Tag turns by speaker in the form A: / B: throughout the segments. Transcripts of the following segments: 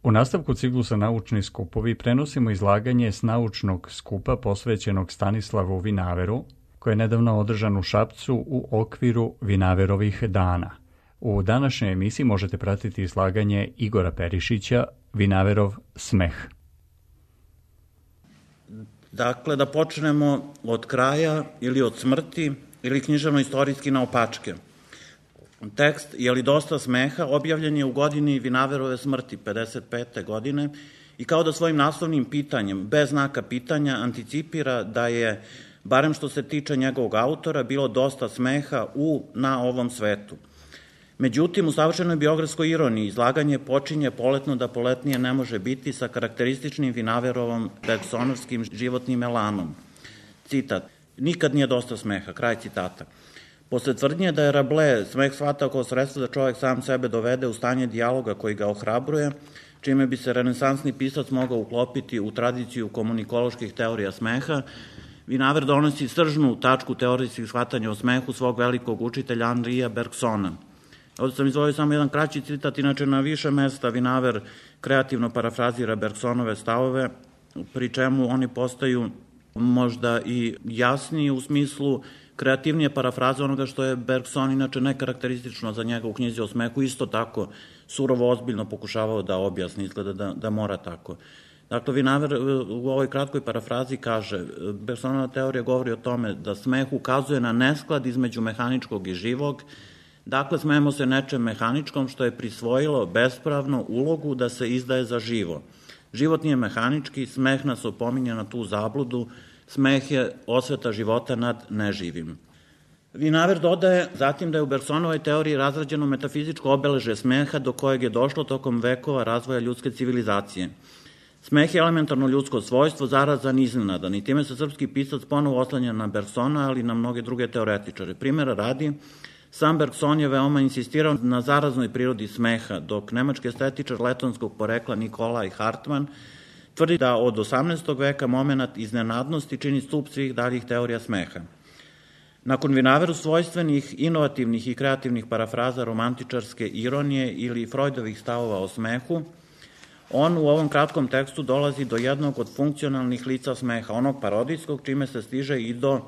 A: U nastavku ciklusa Naučni skupovi prenosimo izlaganje s naučnog skupa posvećenog Stanislavu Vinaveru, koji je nedavno održan u Šapcu u okviru Vinaverovih dana. U današnjoj emisiji možete pratiti izlaganje Igora Perišića, Vinaverov smeh.
B: Dakle, da počnemo od kraja ili od smrti ili književno-istorijski naopačke. Tekst Je li dosta smeha objavljen je u godini Vinaverove smrti 55. godine i kao da svojim naslovnim pitanjem, bez znaka pitanja, anticipira da je, barem što se tiče njegovog autora, bilo dosta smeha na ovom svetu. Međutim, u savršenoj biografskoj ironiji izlaganje počinje poletno da poletnije ne može biti sa karakterističnim Vinaverovom bergsonovskim životnim elanom. Citat, nikad nije dosta smeha, kraj citata. Posle tvrdnje da je Rabelais smeh shvatao kao sredstvo da čovek sam sebe dovede u stanje dijaloga koji ga ohrabruje, čime bi se renesansni pisac mogao uklopiti u tradiciju komunikoloških teorija smeha, Vinaver donosi sržnu tačku teorijskih shvatanja o smehu svog velikog učitelja Henrija Bergsona. Ovdje sam izvojio samo jedan kraći citat, inače na više mesta Vinaver kreativno parafrazira Bergsonove stavove, pri čemu oni postaju možda i jasniji u smislu kreativnije parafraze onoga što je Bergson inače nekarakteristično za njega u knjizi o smehu, isto tako surovo ozbiljno pokušavao da objasni, izgleda da mora tako. Dakle, Vinaver u ovoj kratkoj parafrazi kaže, Bergsonova teorija govori o tome da smeh ukazuje na nesklad između mehaničkog i živog. Dakle, smejemo se nečem mehaničkom što je prisvojilo bespravno ulogu da se izdaje za živo. Život nije mehanički, smeh nas opominje na tu zabludu, smeh je osveta života nad neživim. Vinaver dodaje zatim da je u Bergsonovoj teoriji razrađeno metafizičko obeležje smeha do kojeg je došlo tokom vekova razvoja ljudske civilizacije. Smeh je elementarno ljudsko svojstvo, zarazan i iznenadan i time se srpski pisac ponovo oslanja na Bergsona, ali i na mnoge druge teoretičare. Primera radi, sam Bergson je veoma insistirao na zaraznoj prirodi smeha, dok nemački estetičar letonskog porekla Nikolaj Hartmann tvrdi da od 18. veka momenat iznenadnosti čini stup svih daljih teorija smeha. Nakon Vinaveru svojstvenih, inovativnih i kreativnih parafraza romantičarske ironije ili Freudovih stavova o smehu, on u ovom kratkom tekstu dolazi do jednog od funkcionalnih lica smeha, onog parodijskog, čime se stiže i do,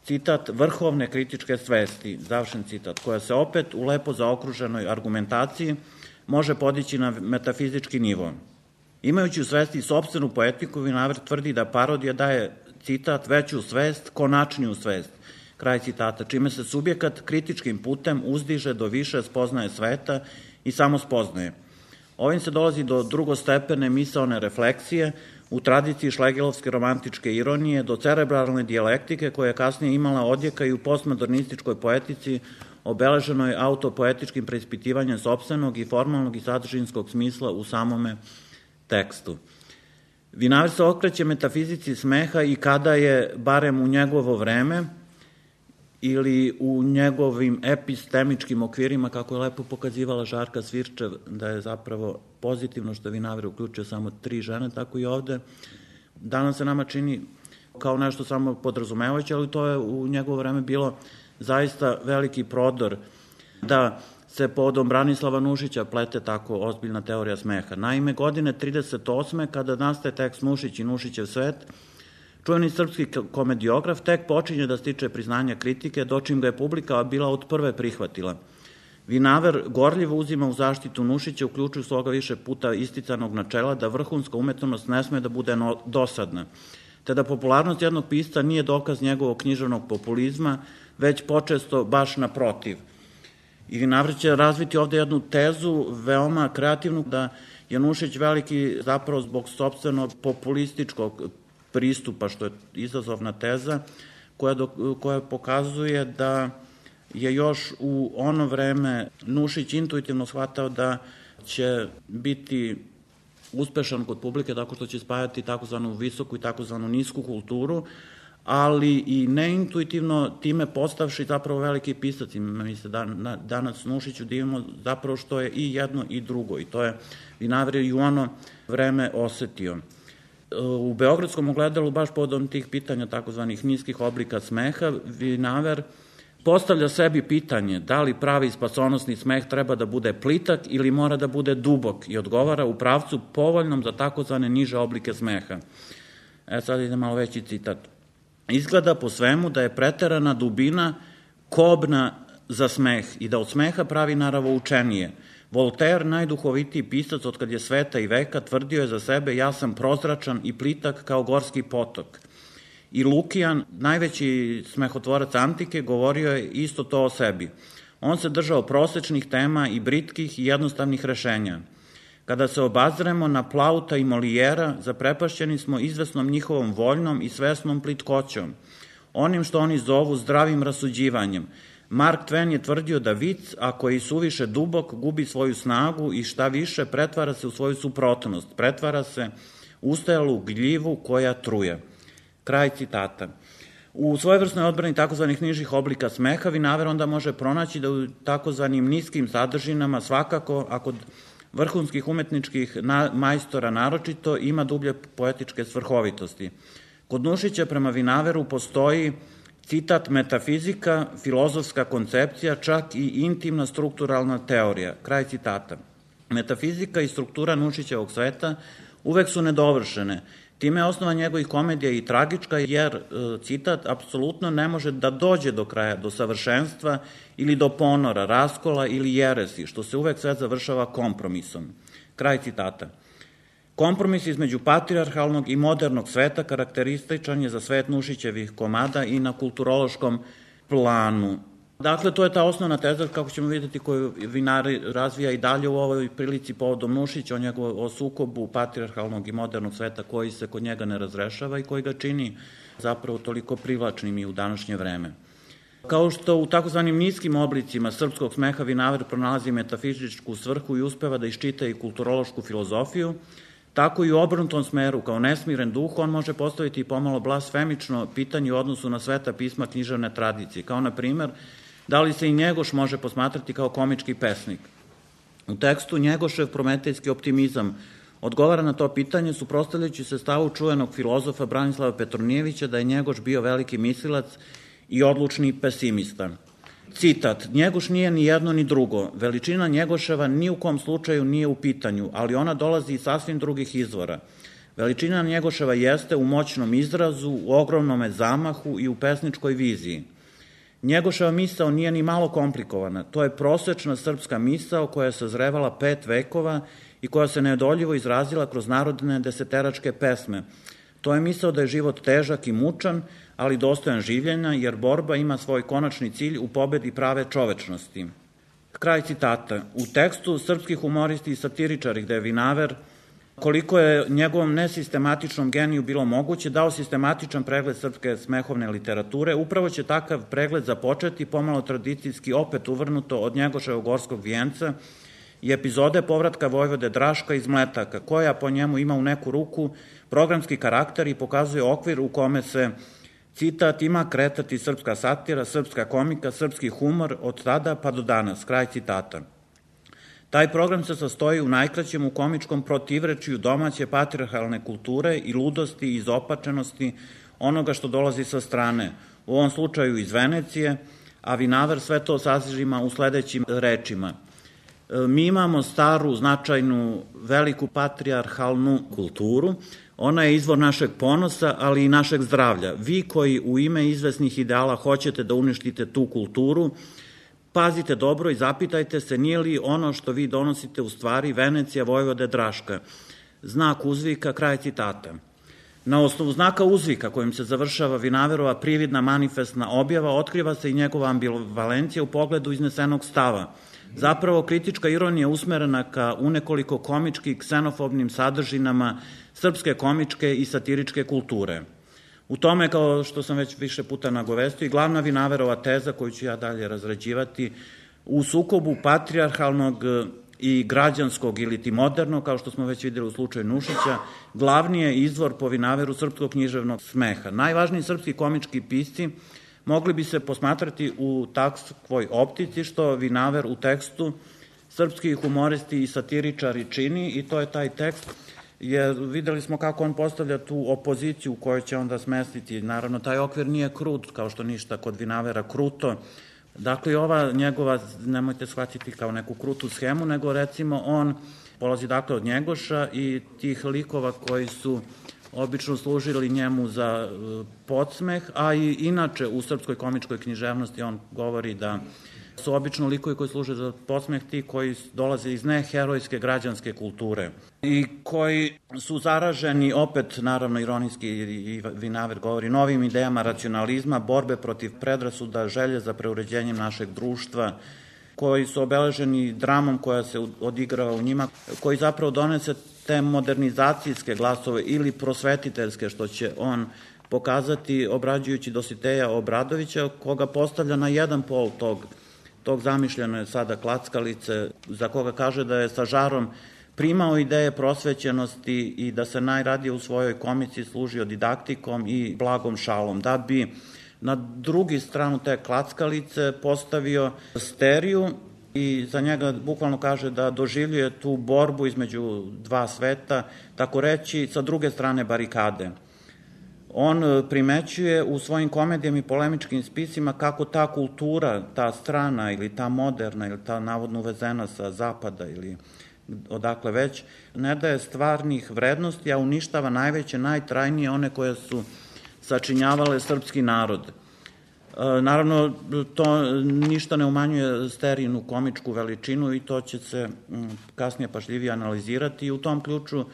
B: citat, vrhovne kritičke svesti, završen citat, koja se opet u lepo zaokruženoj argumentaciji može podići na metafizički nivo. Imajući u svesti sopstvenu poetiku, Vinaver tvrdi da parodija daje, citat, veću svest, konačniju svest, kraj citata, čime se subjekat kritičkim putem uzdiže do više spoznaje sveta i samo spoznaje. Ovim se dolazi do drugostepene misaone refleksije u tradiciji šlegelovske romantičke ironije, do cerebralne dijalektike koja je kasnije imala odjeka i u postmodernističkoj poetici obeleženoj autopoetičkim preispitivanjem sopstvenog i formalnog i sadržinskog smisla u samome tekstu. Vinaver se okreće metafizici smeha i kada je, barem u njegovo vreme, ili u njegovim epistemičkim okvirima, kako je lepo pokazivala Žarka Svirčev, da je zapravo pozitivno što je Vinaver uključio samo 3 žene, tako i ovde. Danas se nama čini kao nešto samo podrazumevajuće, ali to je u njegovo vreme bilo zaista veliki prodor da se povodom Branislava Nušića plete tako ozbiljna teorija smeha. Naime, godine 38. kada nastaje tekst Nušić i Nušićev svet, čuveni srpski komediograf tek počinje da stiče priznanja kritike, dočim ga je publika bila od prve prihvatila. Vinaver gorljivo uzima u zaštitu Nušića, uključuju svoga više puta isticanog načela da vrhunska umetnost ne sme da bude dosadna, te da popularnost jednog pisca nije dokaz njegovog književnog populizma, već počesto baš naprotiv. I Vinaver će razviti ovde jednu tezu, veoma kreativnu, da je Nušić veliki zapravo zbog sopstvenog populističkog pristupa, što je izazovna teza, koja pokazuje da je još u ono vreme Nušić intuitivno shvatao da će biti uspešan kod publike tako što će spajati takozvanu visoku i takozvanu nisku kulturu, ali i neintuitivno time postavši zapravo veliki pisac. Mi se danas Nušiću divimo zapravo što je i jedno i drugo i to je Vinaver i u ono vreme osetio. U Beogradskom ogledalu, baš povodom tih pitanja takozvanih niskih oblika smeha, Vinaver postavlja sebi pitanje da li pravi spasonosni smeh treba da bude plitak ili mora da bude dubok i odgovara u pravcu povoljnom za takozvane niže oblike smeha. Sad ide malo veći citat. Izgleda po svemu da je preterana dubina kobna za smeh i da od smeha pravi naravoučenije. Voltaire, najduhovitiji pisac od kad je sveta i veka, tvrdio je za sebe: ja sam prozračan i plitak kao gorski potok. I Lukijan, najveći smehotvorac antike, govorio je isto to o sebi. On se držao prosečnih tema i britkih i jednostavnih rešenja. Kada se obazremo na Plauta i Molijera, zaprepašćeni smo izvesnom njihovom voljnom i svesnom plitkoćom, onim što oni zovu zdravim rasuđivanjem. Mark Twain je tvrdio da vic, ako je suviše dubok, gubi svoju snagu i šta više, pretvara se u svoju suprotnost, pretvara se u ustajalu gljivu koja truje. Kraj citata. U svojevrsnoj odbrani takozvanih nižih oblika smeha Vinaver onda može pronaći da u takozvanim niskim sadržinama svakako, a kod vrhunskih umetničkih majstora naročito, ima dublje poetičke svrhovitosti. Kod Nušića prema Vinaveru postoji, citat, metafizika, filozofska koncepcija, čak i intimna strukturalna teorija. Kraj citata. Metafizika i struktura Nušićevog sveta uvek su nedovršene. Time je osnova njegovih komedija i tragička, jer, citat, apsolutno ne može da dođe do kraja, do savršenstva ili do ponora, raskola ili jeresi, što se uvek sve završava kompromisom. Kraj citata. Kompromis između patrijarhalnog i modernog sveta karakterističan je za svet Nušićevih komada i na kulturološkom planu. Dakle, to je ta osnovna teza, kako ćemo vidjeti, koju Vinaver razvija i dalje u ovoj prilici povodom Nušića, o sukobu patrijarhalnog i modernog sveta koji se kod njega ne razrešava i koji ga čini zapravo toliko privlačnim i u današnje vreme. Kao što u takozvanim niskim oblicima srpskog smeha Vinaver pronalazi metafizičku svrhu i uspeva da iščita i kulturološku filozofiju, tako i u obrnutom smeru, kao nesmiren duh, on može postaviti pomalo blasfemično pitanje u odnosu na sveta pisma književne tradicije, kao na primer, da li se i Njegoš može posmatrati kao komički pesnik. U tekstu Njegošev prometejski optimizam odgovara na to pitanje, suprotstavljajući se stavu čuvenog filozofa Branislava Petronijevića da je Njegoš bio veliki mislilac i odlučni pesimista. Citat, Njegoš nije ni jedno ni drugo. Veličina Njegoševa ni u kom slučaju nije u pitanju, ali ona dolazi iz sasvim drugih izvora. Veličina Njegoševa jeste u moćnom izrazu, u ogromnome zamahu i u pesničkoj viziji. Njegoševa misao nije ni malo komplikovana. To je prosečna srpska misao koja je sazrevala 5 vekova i koja se neodoljivo izrazila kroz narodne deseteračke pesme. To je misao da je život težak i mučan, ali dostojan življenja, jer borba ima svoj konačni cilj u pobedi prave čovečnosti. Kraj citata. U tekstu srpski humoristi i satiričari, gde je Vinaver, koliko je njegovom nesistematičnom geniju bilo moguće, dao sistematičan pregled srpske smehovne literature, upravo će takav pregled započeti, pomalo tradicijski opet uvrnuto od Njegoševog gorskog vijenca i epizode povratka vojvode Draška iz Mletaka, koja po njemu ima u neku ruku programski karakter i pokazuje okvir u kome se, citat, ima kretati srpska satira, srpska komika, srpski humor od tada pa do danas. Kraj citata. Taj program se sastoji u najkraćem u komičkom protivrečju domaće patrijarhalne kulture i ludosti i izopačenosti onoga što dolazi sa strane, u ovom slučaju iz Venecije, a Vinaver sve to sažima u sledećim rečima. Mi imamo staru, značajnu, veliku patrijarhalnu kulturu, ona je izvor našeg ponosa, ali i našeg zdravlja. Vi koji u ime izvesnih ideala hoćete da uništite tu kulturu, pazite dobro i zapitajte se nije li ono što vi donosite u stvari Venecija vojvode Draška. Znak uzvika, kraj citata. Na osnovu znaka uzvika kojim se završava Vinaverova prividna manifestna objava otkriva se i njegova ambivalencija u pogledu iznesenog stava. Zapravo kritička ironija usmerena ka unekoliko komički ksenofobnim sadržinama srpske komičke i satiričke kulture. U tome, kao što sam već više puta nagovestio, i glavna Vinaverova teza koju ću ja dalje razrađivati, u sukobu patrijarhalnog i građanskog ili ti modernog, kao što smo već vidjeli u slučaju Nušića, glavni je izvor po Vinaveru srpskog književnog smeha. Najvažniji srpski komički pisci mogli bi se posmatrati u takvoj optici što Vinaver u tekstu srpski humoristi i satiričari čini, i to je taj tekst, jer videli smo kako on postavlja tu opoziciju u kojoj će onda smestiti. Naravno, taj okvir nije krut, kao što ništa kod Vinavera kruto, Dakle, ova njegova, nemojte shvatiti kao neku krutu schemu, nego recimo on polazi dakle od Njegoša i tih likova koji su obično služili njemu za podsmeh, a i inače u srpskoj komičkoj književnosti on govori da su obično likovi koji služe za podsmeh ti koji dolaze iz neherojske građanske kulture i koji su zaraženi, opet naravno ironijski i Vinaver govori, novim idejama racionalizma, borbe protiv predrasuda, želje za preuređenjem našeg društva, koji su obeleženi dramom koja se odigrava u njima, koji zapravo donese te modernizacijske glasove ili prosvetiteljske, što će on pokazati obrađujući Dositeja Obradovića, koga postavlja na jedan pol tog zamišljene sada klackalice, za koga kaže da je sa žarom primao ideje prosvećenosti i da se najradije u svojoj komici služio didaktikom i blagom šalom, da bi na drugi stranu te klackalice postavio Steriju i za njega bukvalno kaže da doživljuje tu borbu između dva sveta, tako reći, sa druge strane barikade. On primećuje u svojim komedijama i polemičkim spisima kako ta kultura, ta strana ili ta moderna ili ta navodno uvezena sa zapada ili odakle već, ne daje stvarnih vrednosti, a uništava najveće, najtrajnije, one koje su sačinjavale srpski narod. Naravno, to ništa ne umanjuje Sterijinu komičku veličinu i to će se kasnije pažljivije analizirati i u tom ključu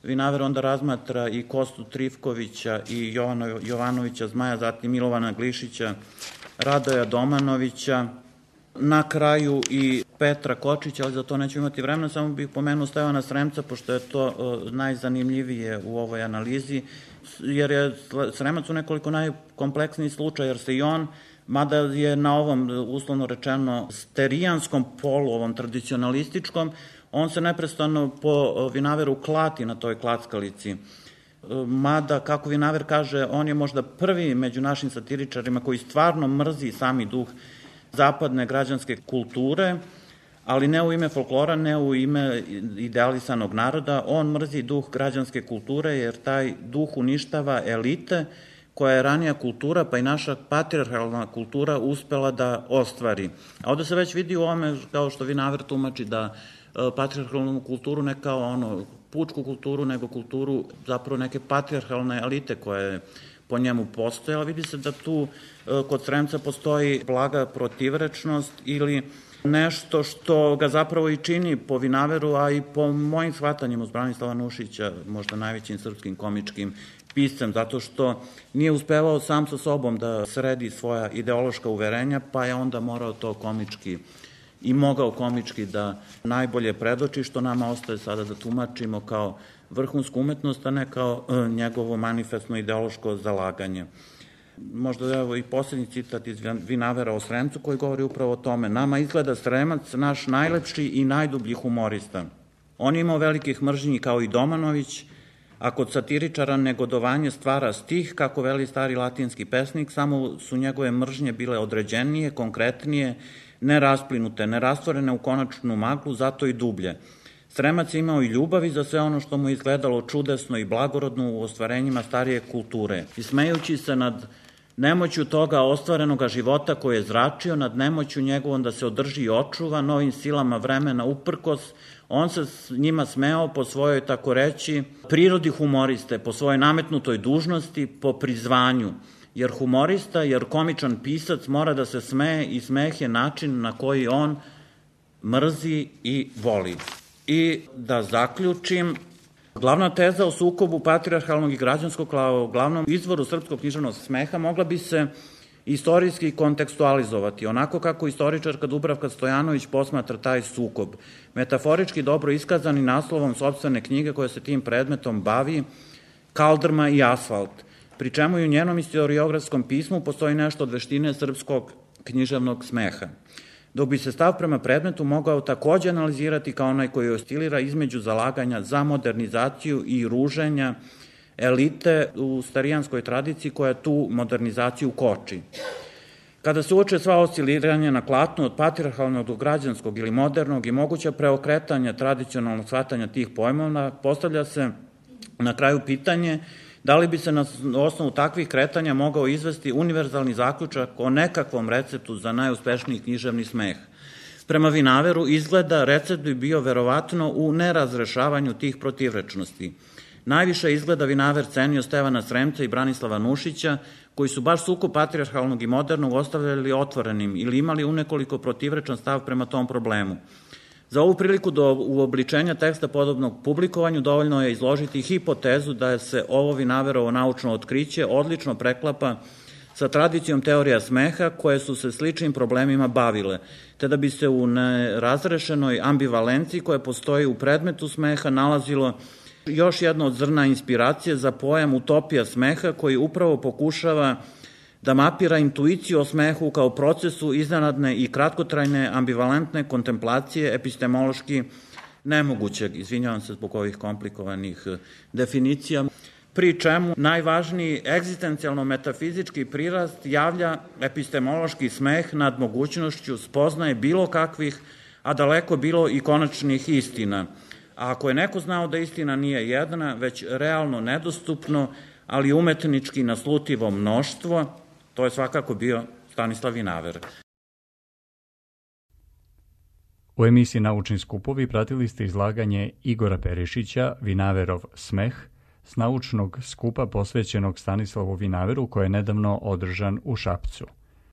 B: Vinaver onda razmatra i Kostu Trifkovića i Jovanovića Zmaja, zatim Milovana Glišića, Radoja Domanovića, na kraju i Petra Kočića, ali za to nećemo imati vremena, samo bih pomenuo Stevana Sremca, pošto je to najzanimljivije u ovoj analizi, jer je Sremac u nekoliko najkompleksniji slučaj, jer se i on, mada je na ovom, uslovno rečeno, sterijanskom polu, ovom tradicionalističkom, on se neprestano po Vinaveru klati na toj klackalici. Mada, kako Vinaver kaže, on je možda prvi među našim satiričarima koji stvarno mrzi sami duh zapadne građanske kulture, ali ne u ime folklora, ne u ime idealisanog naroda, on mrzi duh građanske kulture jer taj duh uništava elite koja je ranija kultura, pa i naša patrijarhalna kultura uspela da ostvari. A ovde se već vidi u ovome, kao što Vinaver tumači, da patrijarhalnu kulturu ne kao pučku kulturu, nego kulturu zapravo neke patrijarhalne elite koje po njemu postojala. Vidi se da tu kod Sremca postoji blaga protivrečnost ili nešto što ga zapravo i čini po Vinaveru, a i po mojim shvatanjima uz Branislava Nušića, možda najvećim srpskim komičkim piscem, zato što nije uspevao sam sa sobom da sredi svoja ideološka uverenja, pa je onda morao to komički i mogao komički da najbolje predoči, što nama ostaje sada da tumačimo kao vrhunsku umetnost, a ne kao njegovo manifestno ideološko zalaganje. Možda evo i posljednji citat iz Vinavera o Sremcu koji govori upravo o tome. Nama izgleda Sremac naš najlepši i najdublji humorista. On je imao velikih mržnji kao i Domanović, a kod satiričara negodovanje stvara stih, kako veli stari latinski pesnik, samo su njegove mržnje bile određenije, konkretnije, nerasplinute, nerastvorene u konačnu maglu, zato i dublje. Sremac je imao i ljubavi za sve ono što mu je izgledalo čudesno i blagorodno u ostvarenjima starije kulture. I smejući se nad nemoću toga ostvarenoga života koje je zračio, nad nemoću njegovom da se održi i očuva, novim silama vremena uprkos, on se njima smeo po svojoj, tako reći, prirodi humoriste, po svojoj nametnutoj dužnosti, po prizvanju. Jer humorista, jer komičan pisac mora da se smeje i smeh je način na koji on mrzi i voli. I da zaključim, glavna teza o sukobu patrijarhalnog i građanskog kao glavnom izvoru srpskog književnog smeha mogla bi se istorijski kontekstualizovati, onako kako istoričarka Dubravka Stojanović posmatra taj sukob. Metaforički dobro iskazani naslovom sopstvene knjige koja se tim predmetom bavi, Kaldrma i asfalt, pri čemu i u njenom istoriografskom pismu postoji nešto od veštine srpskog književnog smeha. Dok bi se stav prema predmetu mogao takođe analizirati kao onaj koji oscilira između zalaganja za modernizaciju i ruženja elite u starijanskoj tradiciji koja tu modernizaciju koči. Kada se uoče sva osciliranja na platnu od patrijarhalnog do građanskog ili modernog i moguća preokretanja tradicionalnog shvatanja tih pojmova, postavlja se na kraju pitanje Da li bi se na osnovu takvih kretanja mogao izvesti univerzalni zaključak o nekakvom receptu za najuspešniji književni smeh? Prema Vinaveru izgleda recept bi bio verovatno u nerazrešavanju tih protivrečnosti. Najviše izgleda Vinaver cenio Stevana Sremca i Branislava Nušića, koji su baš sukob patrijarhalnog i modernog ostavljali otvorenim ili imali unekoliko protivrečan stav prema tom problemu. Za ovu priliku do uobličenja teksta podobnog publikovanju dovoljno je izložiti hipotezu da se ovo Vinaverovo naučno otkriće odlično preklapa sa tradicijom teorija smeha koje su se sličnim problemima bavile, te da bi se u nerazrešenoj ambivalenciji koja postoji u predmetu smeha nalazilo još jedno od zrna inspiracije za pojam utopija smeha koji upravo pokušava da mapira intuiciju o smehu kao procesu iznenadne i kratkotrajne ambivalentne kontemplacije epistemološki nemogućeg, izvinjavam se zbog ovih komplikovanih definicija, pri čemu najvažniji egzistencijalno-metafizički prirast javlja epistemološki smeh nad mogućnošću spoznaje bilo kakvih, a daleko bilo i konačnih istina. A ako je neko znao da istina nije jedna, već realno nedostupno, ali umetnički naslutivo mnoštvo, to je svakako bio Stanislav Vinaver.
A: U emisiji Naučni skupovi pratili ste izlaganje Igora Perišića, Vinaverov smeh, s naučnog skupa posvećenog Stanislavu Vinaveru koji je nedavno održan u Šapcu.